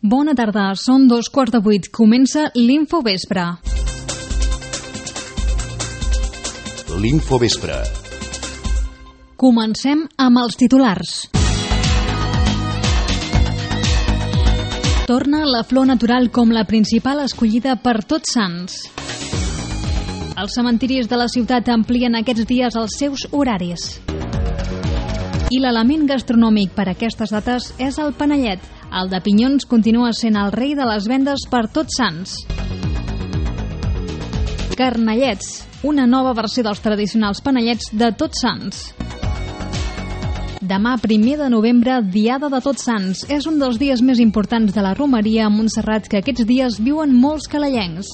Bona tarda, són 7:15. Comença l'Infovespre. L'Infovespre. Comencem amb els titulars. Torna la flor natural com la principal escollida per Tots Sants. Els cementiris de la ciutat amplien aquests dies els seus horaris. I l'element gastronòmic per aquestes dates és el panellet. El de pinyons continua sent el rei de les vendes per Tots Sants. Carnellets, una nova versió dels tradicionals panellets de Tots Sants. Demà, 1 de novembre, Diada de Tots Sants. És un dels dies més importants de la romeria a Montserrat que aquests dies viuen molts calellencs.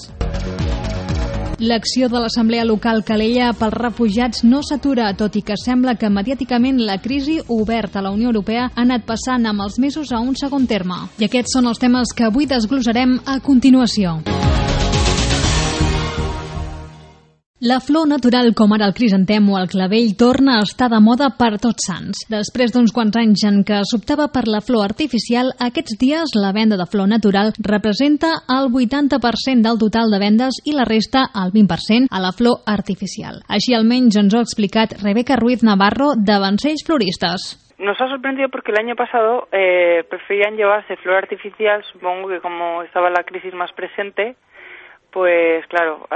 L'acció de l'Assemblea Local Calella pels refugiats no s'atura, tot i que sembla que mediàticament la crisi oberta a la Unió Europea ha anat passant amb els mesos a un segon terme. I aquests són els temes que avui desglossarem a continuació. La flor natural, com ara el crisantem o el clavell, torna a estar de moda per Tots Sants. Després d'uns quants anys en què s'optava per la flor artificial, aquests dies la venda de flor natural representa el 80% del total de vendes i la resta, el 20%, a la flor artificial. Així almenys ens ho ha explicat Rebeca Ruiz Navarro, de Vancells Floristas. Nos ha sorprendido porque el año pasado preferían llevarse flor artificial, supongo que como estaba la crisis más presente, pues claro,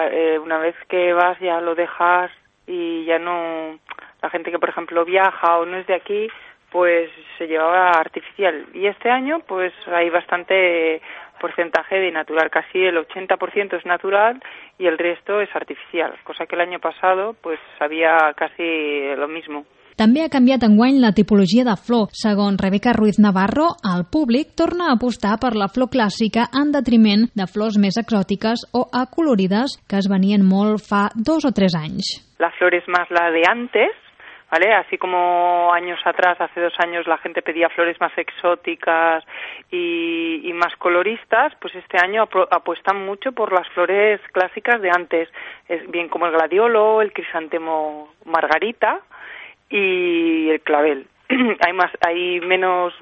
una vez que vas ya lo dejas y ya no... La gente que, por ejemplo, viaja o no es de aquí, pues se llevaba artificial. Y este año, pues hay bastante porcentaje de natural. Casi el 80% es natural y el resto es artificial. Cosa que el año pasado, pues había casi lo mismo. També ha canviat enguany la tipologia de flor. Segons Rebeca Ruiz Navarro, el públic torna a apostar per la flor clàssica en detriment de flors més exòtiques o acolorides que es venien molt fa 2 o 3 anys. La flor es más la de antes, ¿vale? Así como años atrás, hace 2 años, la gente pedía flores más exóticas y más coloristas, pues este año apuestan mucho por las flores clásicas de antes, es bien como el gladiolo, el crisantemo margarita y el clavel. Hay menos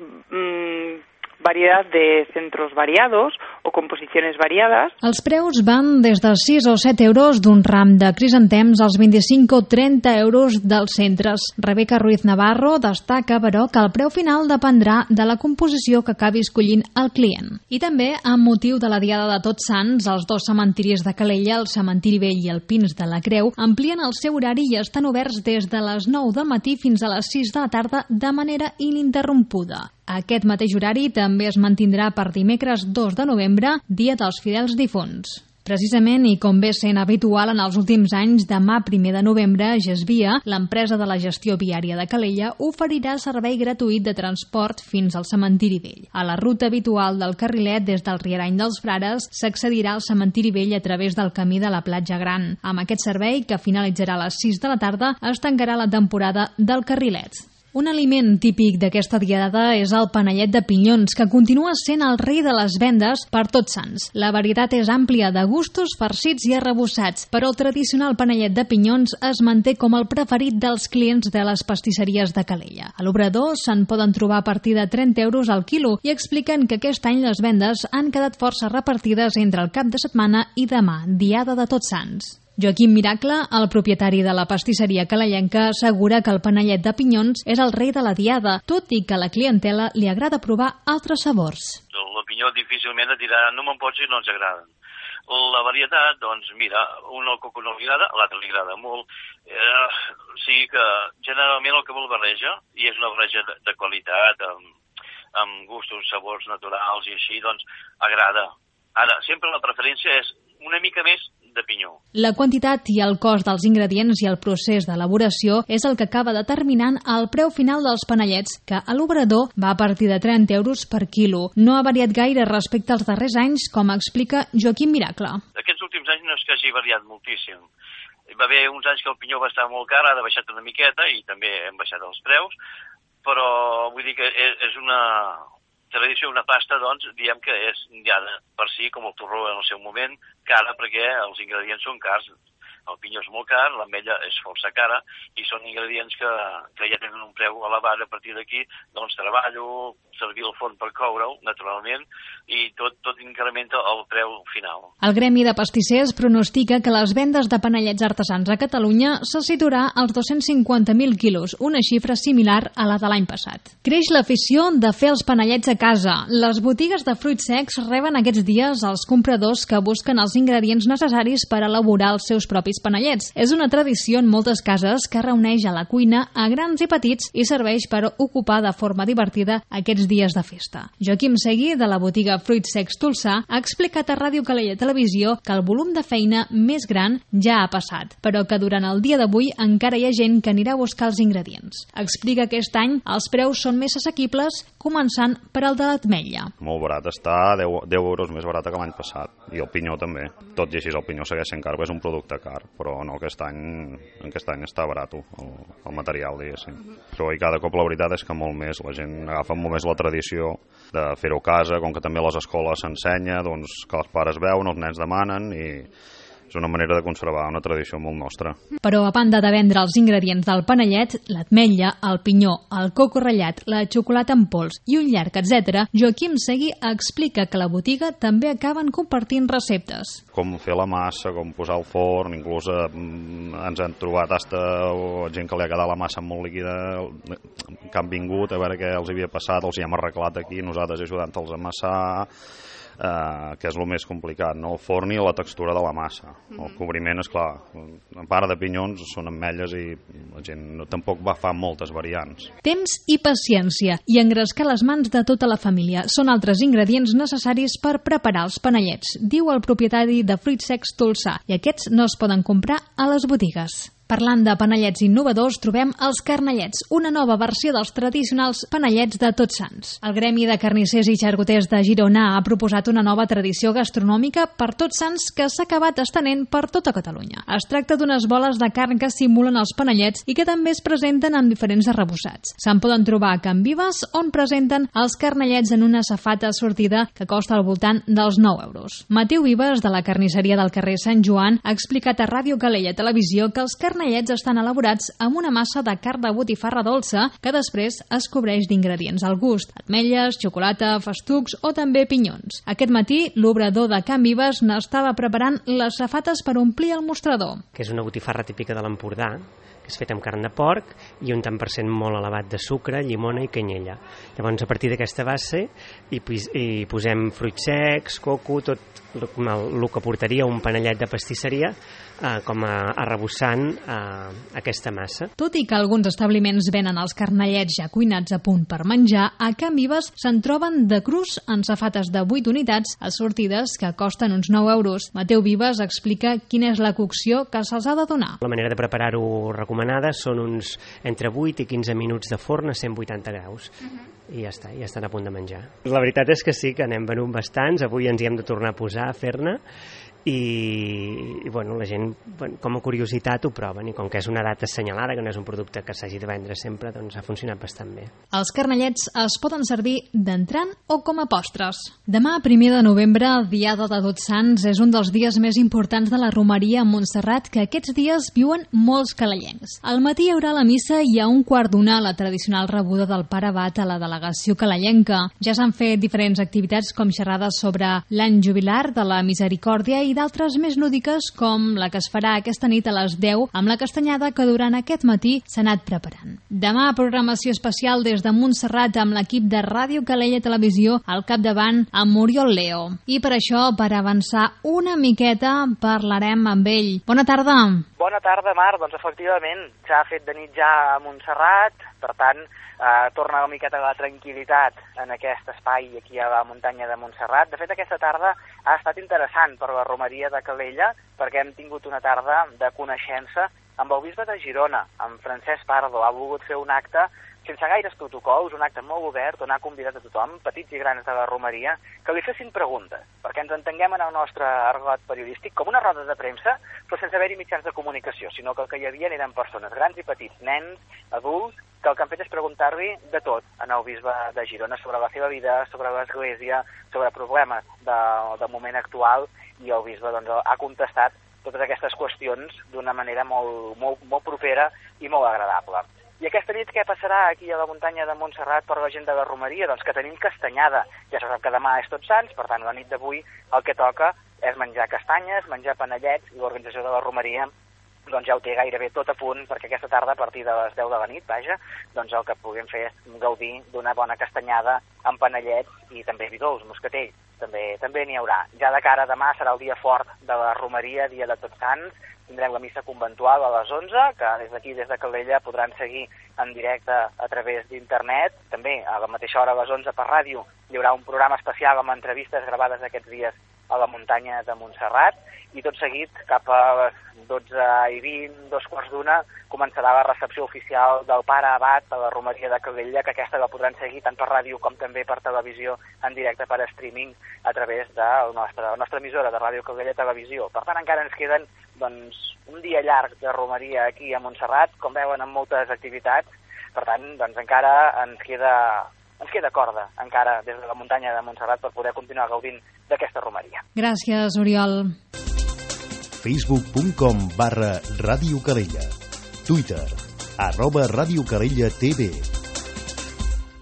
variedad de centros variados o composiciones variadas. Els preus van des de 6 o 7 euros d'un ram de crisantems als 25 o 30 euros dels centres. Rebeca Ruiz Navarro destaca, però, que el preu final dependrà de la composició que acabi escollint el client. I també, amb motiu de la Diada de Tots Sants, els 2 cementiris de Calella, el cementiri vell i el Pins de la Creu, amplien el seu horari i estan oberts des de les 9 del matí fins a les 6 de la tarda de manera ininterrompuda. Aquest mateix horari també es mantindrà per dimecres 2 de novembre, dia dels fidels difunts. Precisament, i com ve sent habitual en els últims anys, demà 1 de novembre, Gesvia, l'empresa de la gestió viària de Calella, oferirà servei gratuït de transport fins al cementiri vell. A la ruta habitual del carrilet des del Rierany dels Frares s'accedirà al cementiri vell a través del camí de la Platja Gran. Amb aquest servei, que finalitzarà a les 6 de la tarda, es tancarà la temporada del carrilet. Un aliment típic d'aquesta diada és el panellet de pinyons, que continua sent el rei de les vendes per Tots Sants. La varietat és àmplia de gustos farcits i arrebossats, però el tradicional panellet de pinyons es manté com el preferit dels clients de les pastisseries de Calella. A l'Obrador se'n poden trobar a partir de 30 euros al quilo i expliquen que aquest any les vendes han quedat força repartides entre el cap de setmana i demà, Diada de Tots Sants. Joaquim Miracle, el propietari de la pastisseria calellenca, assegura que el panellet de pinyons és el rei de la diada, tot i que a la clientela li agrada provar altres sabors. El pinyó difícilment et dirà no me'n pots i no ens agraden. La varietat, doncs mira, un al coco no li agrada, a l'altre li agrada molt. O sigui que generalment el que vol barreja, i és una barreja de qualitat, amb gustos, sabors naturals i així, doncs agrada. Ara, sempre la preferència és una mica més de pinyó. La quantitat i el cost dels ingredients i el procés d'elaboració és el que acaba determinant el preu final dels panellets, que a l'Obrador va a partir de 30 euros per quilo. No ha variat gaire respecte als darrers anys, com explica Joaquim Miracle. Aquests últims anys no és que hagi variat moltíssim. Hi va haver uns anys que el pinyó va estar molt car, ara ha baixat una miqueta i també hem baixat els preus, però vull dir que és una tradició, una pasta, doncs, diem que és ja per si, com el torró en el seu moment, cara perquè els ingredients són cars. El pinyó és molt car, l'ametlla és força cara, i són ingredients que ja tenen un preu elevat. A partir d'aquí, doncs, treballo, servir el forn per coure-ho, naturalment, i tot incrementa el preu final. El Gremi de Pastissers pronostica que les vendes de panellets artesans a Catalunya se situarà als 250.000 quilos, una xifra similar a la de l'any passat. Creix l'afició de fer els panellets a casa. Les botigues de fruits secs reben aquests dies els compradors que busquen els ingredients necessaris per elaborar els seus propis panellets. És una tradició en moltes cases que reuneix a la cuina a grans i petits i serveix per ocupar de forma divertida aquests dies de festa. Joaquim Segui, de la botiga Fruits Secs Tolsà, ha explicat a Ràdio Calella Televisió que el volum de feina més gran ja ha passat, però que durant el dia d'avui encara hi ha gent que anirà a buscar els ingredients. Explica que aquest any els preus són més assequibles, començant per al de l'ametlla. Molt barat està, 10 euros més barat que l'any passat, i el pinyó també. Tot i així el pinyó segueix sent car, és un producte car, però no, aquest any està barat el material, diguéssim. Però i cada cop la veritat és que molt més, la gent agafa molt més la tradició de fer-ho a casa, com que també a les escoles s'ensenya, doncs que els pares veuen, els nens demanen, i és una manera de conservar una tradició molt nostra. Però a banda de vendre els ingredients del panellet, l'ametlla, el pinyó, el coco ratllat, la xocolata en pols i un llarg, etc., Joaquim Segui explica que la botiga també acaben compartint receptes. Com fer la massa, com posar al forn, inclús ens han trobat gent que li ha quedat la massa molt líquida, que han vingut a veure què els havia passat, els hi hem arreglat aquí, nosaltres ajudant-los a amassar, que és el més complicat, no? El forn i la textura de la massa. El cobriment, és clar, en part de pinyons són ametlles i la gent tampoc va fer moltes variants. Temps i paciència i engrescar les mans de tota la família són altres ingredients necessaris per preparar els panellets, diu el propietari de Fruits Secs Tolsà, i aquests no es poden comprar a les botigues. Parlant de panellets innovadors, trobem els carnellets, una nova versió dels tradicionals panellets de Tots Sants. El Gremi de Carnissers i Xarcuters de Girona ha proposat una nova tradició gastronòmica per Tots Sants que s'ha acabat estenent per tota Catalunya. Es tracta d'unes boles de carn que simulen els panellets i que també es presenten amb diferents arrebossats. Se'n poden trobar a Can Vives, on presenten els carnellets en una safata sortida que costa al voltant dels 9 euros. Mateu Vives, de la carnisseria del carrer Sant Joan, ha explicat a Ràdio Calella Televisió que els carnellets estan elaborats amb una massa de carn de botifarra dolça que després es cobreix d'ingredients al gust, ametlles, xocolata, festucs o també pinyons. Aquest matí, l'obrador de Can Vives n'estava preparant les safates per omplir el mostrador. Que és una botifarra típica de l'Empordà, que és feta amb carn de porc i un tant per cent molt elevat de sucre, llimona i canyella. Llavors, a partir d'aquesta base hi posem fruits secs, coco, tot el que portaria un panellet de pastisseria com a arrebossant aquesta massa. Tot i que alguns establiments venen els carnellets ja cuinats a punt per menjar, a Can Vives se'n troben de crus en safates de 8 unitats assortides que costen uns 9 euros. Mateu Vives explica quina és la cocció que se'ls ha de donar. La manera de preparar-ho recomanada són uns entre 8 i 15 minuts de forn a 180 graus. I ja està, ja estan a punt de menjar. La veritat és que sí, que n'hem venut bastants, avui ens hi hem de tornar a posar, a fer-ne, i bueno, la gent com a curiositat ho proven, i com que és una data assenyalada, que no és un producte que s'hagi de vendre sempre, doncs ha funcionat bastant bé. Els carnellets es poden servir d'entrant o com a postres. Demà, 1 de novembre, Diada de Tots Sants, és un dels dies més importants de la romeria a Montserrat, que aquests dies viuen molts calellencs. Al matí hi haurà la missa i a 1:15 la tradicional rebuda del pare abat a la delegació calellenca. Ja s'han fet diferents activitats com xerrades sobre l'any jubilar de la Misericòrdia i d'altres més lúdiques, com la que es farà aquesta nit a les 10 amb la castanyada que durant aquest matí s'ha anat preparant. Demà, programació especial des de Montserrat amb l'equip de Ràdio Calella Televisió al capdavant amb Oriol Leo. I per això, per avançar una miqueta, parlarem amb ell. Bona tarda. Bona tarda, Mar. Doncs efectivament, s'ha fet de nit ja a Montserrat, per tant, torna una miqueta la tranquil·litat en aquest espai aquí a la muntanya de Montserrat. De fet, aquesta tarda ha estat interessant per la romeria de Calella, perquè hem tingut una tarda de coneixença amb el bisbe de Girona, amb Francesc Pardo. Ha volgut fer un acte sense gaires protocols, un acte molt obert on ha convidat a tothom, petits i grans de la romeria, que li fessin preguntes, perquè ens entenguem en el nostre argot periodístic com una roda de premsa, però sense haver-hi mitjans de comunicació, sinó que el que hi havia eren persones grans i petits, nens, adults, que el que han fet és preguntar-li de tot al bisbe de Girona sobre la seva vida, sobre l'església, sobre problemes del moment actual, i el bisbe doncs, ha contestat totes aquestes qüestions d'una manera molt propera i molt agradable. I aquesta nit què passarà aquí a la muntanya de Montserrat per la gent de la romeria? Doncs que tenim castanyada. Ja se sap que demà és Tots Sants, per tant, la nit d'avui el que toca és menjar castanyes, menjar panellets, i l'organització de la romeria doncs ja ho té gairebé tot a punt perquè aquesta tarda, a partir de les 10 de la nit, doncs el que puguem fer és gaudir d'una bona castanyada amb panellets i també vi dolç, moscatell. També n'hi haurà. Ja de cara a demà serà el dia fort de la romeria, dia de Tots Sants. Tindrem la missa conventual a les 11, que des d'aquí, des de Calella, podran seguir en directe a través d'internet. També a la mateixa hora, a les 11, per ràdio, hi haurà un programa especial amb entrevistes gravades aquests dies a la muntanya de Montserrat, i tot seguit, cap a les 12:20, 2:15, començarà la recepció oficial del pare abat a la romeria de Calella, que aquesta la podran seguir tant per ràdio com també per televisió en directe per streaming a través de la nostra emissora de Ràdio Calella Televisió. Per tant, encara ens queden un dia llarg de romeria aquí a Montserrat, com veuen, amb moltes activitats. Per tant, encara ens queda corda, encara des de la muntanya de Montserrat, per poder continuar gaudint d'aquesta romeria. Gràcies, Oriol. facebook.com/Ràdio Calella, Twitter @Ràdio Calella TV.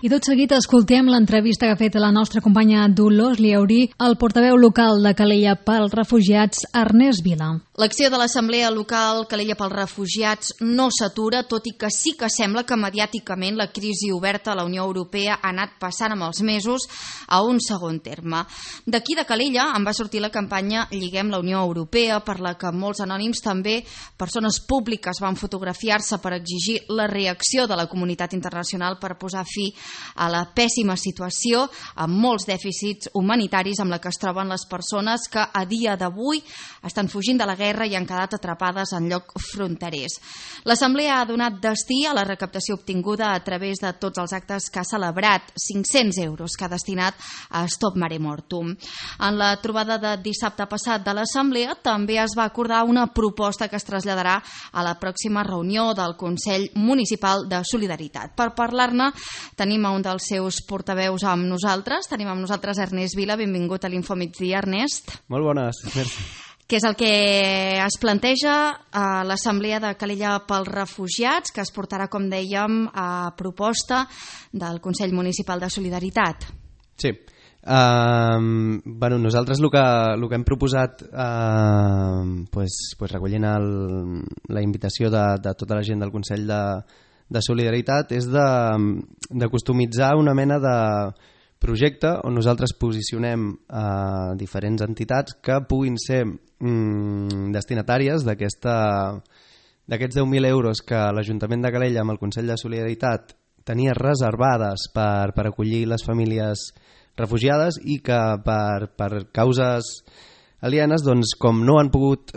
I tot seguit escoltem l'entrevista que ha fet la nostra companya Dolors Liaurí al portaveu local de Calella pels Refugiats, Ernest Vila. L'acció de l'Assemblea Local Calella pels Refugiats no s'atura, tot i que sí que sembla que mediàticament la crisi oberta a la Unió Europea ha anat passant amb els mesos a un segon terme. D'aquí de Calella en va sortir la campanya Lliguem la Unió Europea, per la que molts anònims, també persones públiques, van fotografiar-se per exigir la reacció de la comunitat internacional per posar fi a la pèssima situació amb molts dèficits humanitaris amb la que es troben les persones que a dia d'avui estan fugint de la guerra i han quedat atrapades en llocs fronterers. L'Assemblea ha donat destí a la recaptació obtinguda a través de tots els actes que ha celebrat, 500 euros que ha destinat a Stop Mare Mortum. En la trobada de dissabte passat de l'Assemblea també es va acordar una proposta que es traslladarà a la pròxima reunió del Consell Municipal de Solidaritat. Per parlar-ne tenim a un dels seus portaveus amb nosaltres. Tenim amb nosaltres Ernest Vila. Benvingut a l'Infomigdia, Ernest. Molt bones, merci. Què és el que es planteja a l'Assemblea de Calella pels Refugiats, que es portarà, com dèiem, a proposta del Consell Municipal de Solidaritat? Sí. Nosaltres el que hem proposat, recollint la invitació de tota la gent del Consell de Solidaritat, és de customitzar una mena de projecte on nosaltres posicionem diferents entitats que puguin ser destinatàries d'aquests 10.000 euros que l'Ajuntament de Calella amb el Consell de Solidaritat tenia reservades per acollir les famílies refugiades, i que per causes alienes, doncs, com no han pogut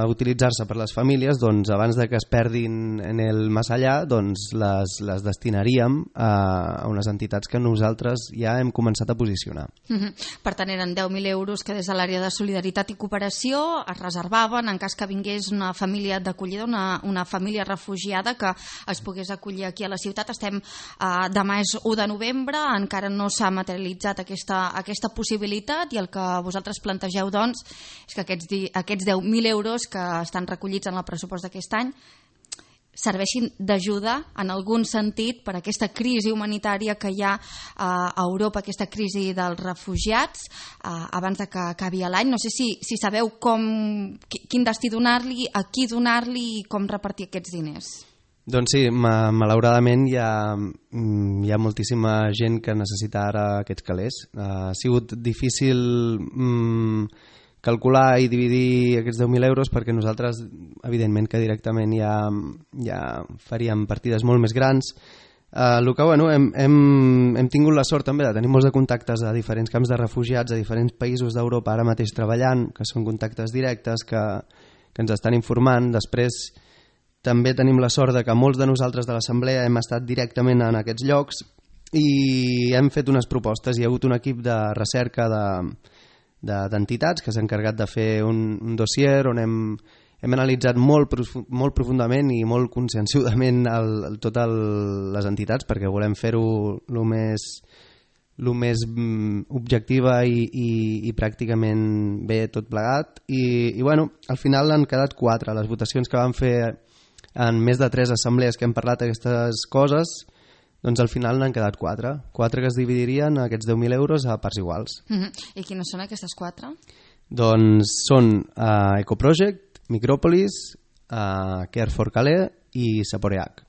utilitzar-se per les famílies, doncs, abans de que es perdin en el més allà, doncs, les destinaríem a unes entitats que nosaltres ja hem començat a posicionar. Per tant, eren 10.000 euros que des de l'àrea de Solidaritat i Cooperació es reservaven en cas que vingués una família d'acollida, una família refugiada que es pogués acollir aquí a la ciutat. Demà és 1 de novembre, encara no s'ha materialitzat aquesta possibilitat, i el que vosaltres plantegeu, doncs, és que aquests 10.000 euros que estan recollits en el pressupost d'aquest any serveixin d'ajuda en algun sentit per a aquesta crisi humanitària que hi ha a Europa, aquesta crisi dels refugiats, abans de que acabi l'any. No sé si sabeu quin destí donar-li, a qui donar-li i com repartir aquests diners. Doncs sí, malauradament hi ha moltíssima gent que necessita ara aquests calés. Ha sigut difícil calcular i dividir aquests 10.000 euros perquè nosaltres, evidentment, que directament ja faríem partides molt més grans. El que hem tingut la sort també de tenir molts de contactes a diferents camps de refugiats, a diferents països d'Europa ara mateix treballant, que són contactes directes que ens estan informant. Després també tenim la sort de que molts de nosaltres de l'Assemblea hem estat directament en aquests llocs i hem fet unes propostes. Hi ha hagut un equip de recerca d'entitats que s'ha encarregat de fer un dossier on hem analitzat molt profundament i molt conscienciudament totes les entitats, perquè volem fer-ho el més el més objectiva i pràcticament bé tot plegat. I bueno, al final han quedat 4. Les votacions que vam fer en més de 3 assemblees que hem parlat d'aquestes coses, doncs al final n'han quedat 4 que es dividirien aquests 10.000 euros a parts iguals. I quines són aquestes 4? Doncs són Ecoproject, Micròpolis, Care for Calais i Saporeac.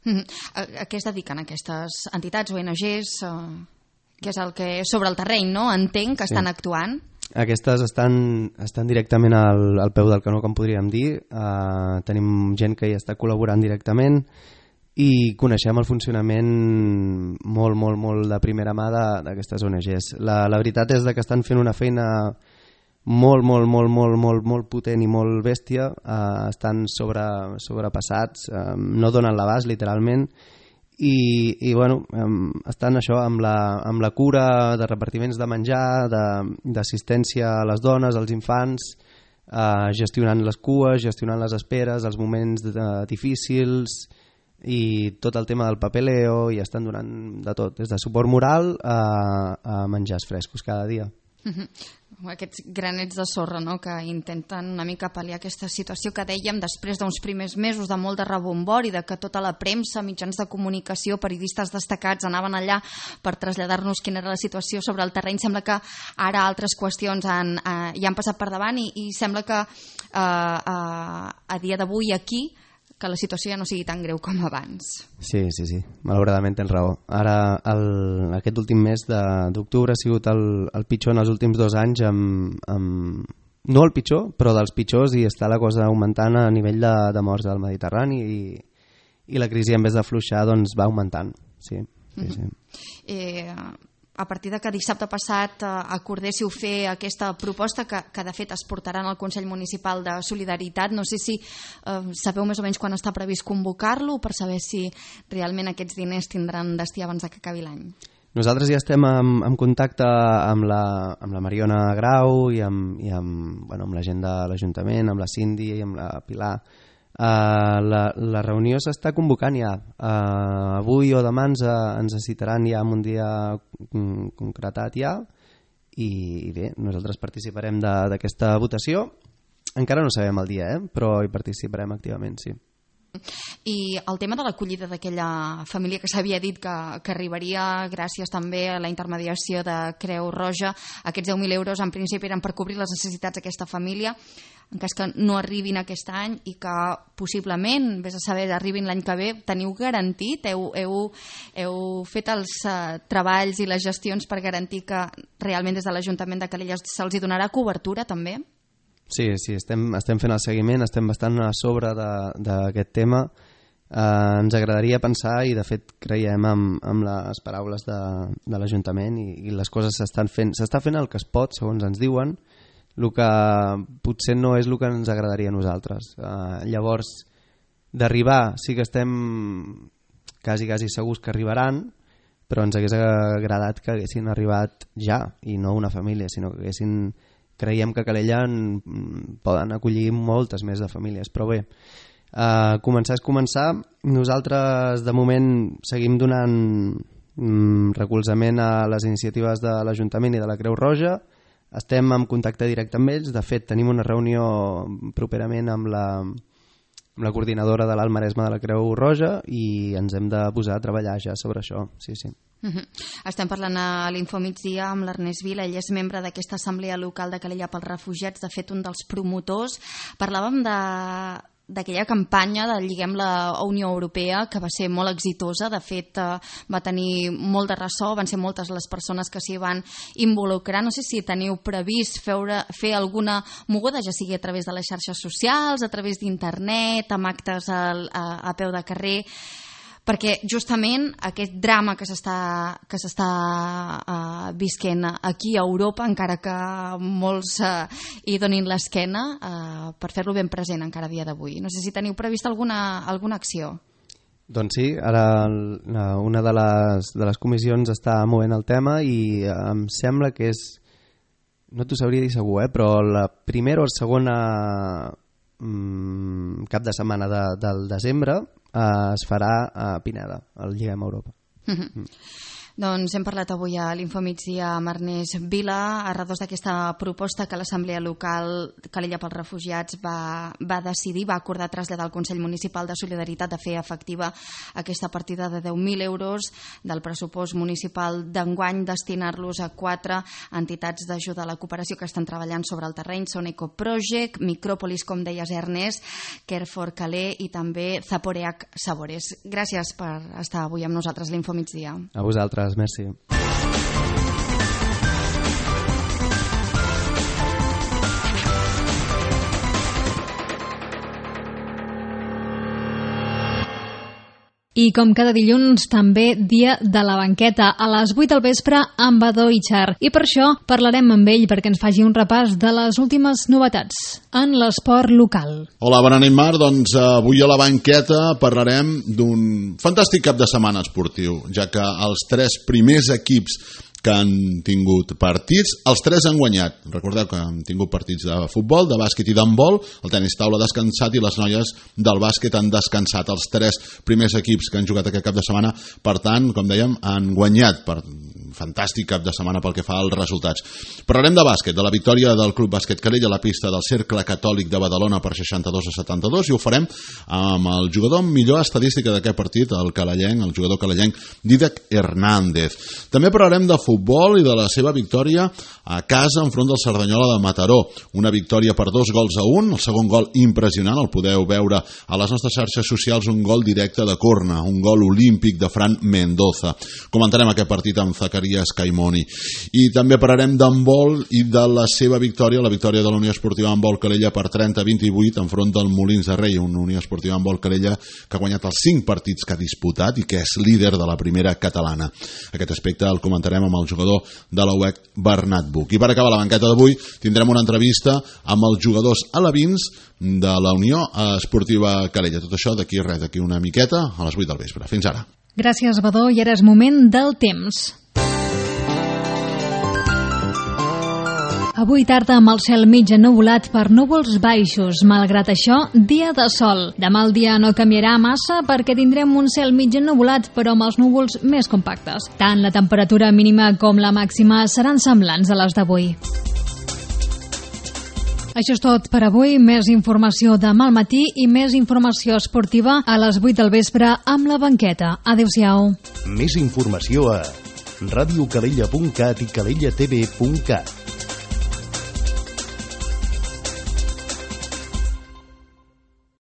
A què es dediquen aquestes entitats, ONGs, que és el que sobre el terreny, no? Entenc que estan actuant. Aquestes estan directament al peu del canó, com podríem dir. Tenim gent que hi està col·laborant directament i coneixem el funcionament molt de primera mà d'aquestes ONGs. La veritat és que estan fent una feina molt potent i molt bèstia. Estan sobrepassats, no donen l'abast literalment, i bueno, estan això amb la cura de repartiments de menjar, d'assistència a les dones, als infants, gestionant les cues, gestionant les esperes, els moments difícils i tot el tema del papeleo, i estan donant de tot, des de suport moral a menjars frescos cada dia. Aquests granets de sorra, no?, que intenten una mica pal·liar aquesta situació que dèiem després d'uns primers mesos de molt de rebombori, de que tota la premsa, mitjans de comunicació, periodistes destacats anaven allà per traslladar-nos quina era la situació sobre el terreny. Sembla que ara altres qüestions ja han passat per davant i sembla que a dia d'avui aquí que la situació ja no sigui tan greu com abans. Sí, malauradament tens raó. Ara, aquest últim mes d'octubre ha sigut el pitjor en els últims 2 anys, no el pitjor, però dels pitjors, i està la cosa augmentant a nivell de morts al Mediterrani, i la crisi, en vez d'afluixar, doncs va augmentant. Sí. A partir de que dissabte passat acordéssiu fer aquesta proposta que de fet es portarà al Consell Municipal de Solidaritat, no sé si sabeu més o menys quan està previst convocar-lo per saber si realment aquests diners tindran destí abans que acabi l'any. Nosaltres ja estem en contacte amb la Mariona Grau i amb la gent de l'Ajuntament, amb la Cindy i amb la Pilar. La reunió s'està convocant ja. Avui o demà ens citaran ja en un dia concretat ja, i bé, nosaltres participarem d'aquesta votació. Encara no sabem el dia, però hi participarem activament, sí. I el tema de l'acollida d'aquella família que s'havia dit que arribaria gràcies també a la intermediació de Creu Roja, aquests 10.000 euros en principi eren per cobrir les necessitats d'aquesta família en cas que no arribin aquest any i que possiblement, vés a saber, arribin l'any que ve. Teniu garantit? Heu fet els treballs i les gestions per garantir que realment des de l'Ajuntament de Calella se'ls donarà cobertura també? Sí, estem fent el seguiment, estem bastant a sobre d'aquest tema. Ens agradaria pensar, i de fet creiem amb les paraules de l'Ajuntament, i les coses s'està fent el que es pot, segons ens diuen. El que potser no és el que ens agradaria a nosaltres. Llavors, d'arribar sí que estem quasi segurs que arribaran, però ens hagués agradat que haguessin arribat ja, i no una família, sinó que creiem que a Calella poden acollir moltes més de famílies, però bé, començar és començar. Nosaltres de moment seguim donant recolzament a les iniciatives de l'Ajuntament i de la Creu Roja. Estem en contacte directe amb ells. De fet, tenim una reunió properament amb la coordinadora de l'Alt Maresme de la Creu Roja, i ens hem de posar a treballar ja sobre això. Sí. Estem parlant a l'Infomigdia amb l'Ernest Vila. Ell és membre d'aquesta assemblea local de Calella pels refugiats, de fet un dels promotors. Parlàvem d'aquella campanya de Lliguem la Unió Europea, que va ser molt exitosa. De fet, va tenir molt de ressò, van ser moltes les persones que s'hi van involucrar. No sé si teniu previst fer alguna moguda, ja sigui a través de les xarxes socials, a través d'internet, amb actes a peu de carrer, perquè justament aquest drama que s'està visquent aquí a Europa, encara que molts hi donin l'esquena, per fer-lo ben present encara a dia d'avui. No sé si teniu previst alguna acció. Doncs sí, ara una de les comissions està movent el tema, i em sembla que és, no t'ho sabria dir segur, però la primera o segona cap de setmana del desembre es farà a Pineda, al Lliguem Europa. Doncs hem parlat avui a l'Infomigdia amb Ernest Vila a redós d'aquesta proposta que l'Assemblea Local Calella pels Refugiats va decidir, va acordar traslladar al Consell Municipal de Solidaritat de fer efectiva aquesta partida de 10.000 euros del pressupost municipal d'enguany, destinar-los a 4 entitats d'ajuda a la cooperació que estan treballant sobre el terreny. Són Ecoproject, Micròpolis, com deies Ernest, Care for Calais i també Zaporeac Sabores. Gràcies per estar avui amb nosaltres a l'Infomigdia. A vosaltres. Merci. I com cada dilluns, també dia de la banqueta, a les 8 del vespre amb Badó Ichar. I per això parlarem amb ell perquè ens faci un repàs de les últimes novetats en l'esport local. Hola, bona nit, Mar. Doncs avui a la banqueta parlarem d'un fantàstic cap de setmana esportiu, ja que els 3 primers equips que han tingut partits, els 3 han guanyat. Recordeu que han tingut partits de futbol, de bàsquet i d'handbol, el tenis taula ha descansat i les noies del bàsquet han descansat. Els 3 primers equips que han jugat aquest cap de setmana, per tant, com dèiem, han guanyat. Fantàstic cap de setmana pel que fa als resultats. Parlarem de bàsquet, de la victòria del Club Bàsquet Calella a la pista del Cercle Catòlic de Badalona per 62-72, i ho farem amb el jugador amb millor estadística d'aquest partit, el jugador calellenc Dídac Hernández. També parlarem de futbol i de la seva victòria a casa enfront del Cerdanyola de Mataró. Una victòria per 2-1, el segon gol impressionant, el podeu veure a les nostres xarxes socials, un gol directe de corna, un gol olímpic de Fran Mendoza. Comentarem aquest partit amb Zacarias Caimoni. I també parlarem d'handbol i de la seva victòria, la victòria de la Unió Esportiva Handbol Calella per 30-28 enfront del Molins de Rei, una Unió Esportiva Handbol Calella que ha guanyat els 5 partits que ha disputat i que és líder de la primera catalana. Aquest aspecte el comentarem amb el jugador de la UEC, Bernat Buch. I per acabar la banqueta d'avui tindrem una entrevista amb els jugadors alevins de la Unió Esportiva Calella. Tot això d'aquí una miqueta a les 8 del vespre. Fins ara. Gràcies, Badó, i ara és moment del temps. Avui tarda amb el cel mig ennuvolat per núvols baixos. Malgrat això, dia de sol. Demà el dia no canviarà massa perquè tindrem un cel mig ennuvolat, però amb els núvols més compactes. Tant la temperatura mínima com la màxima seran semblants a les d'avui. Això és tot per avui. Més informació demà al matí i més informació esportiva a les 8 del vespre amb la banqueta. Adéu-siau. Més informació a radiocalella.cat i calellatv.cat.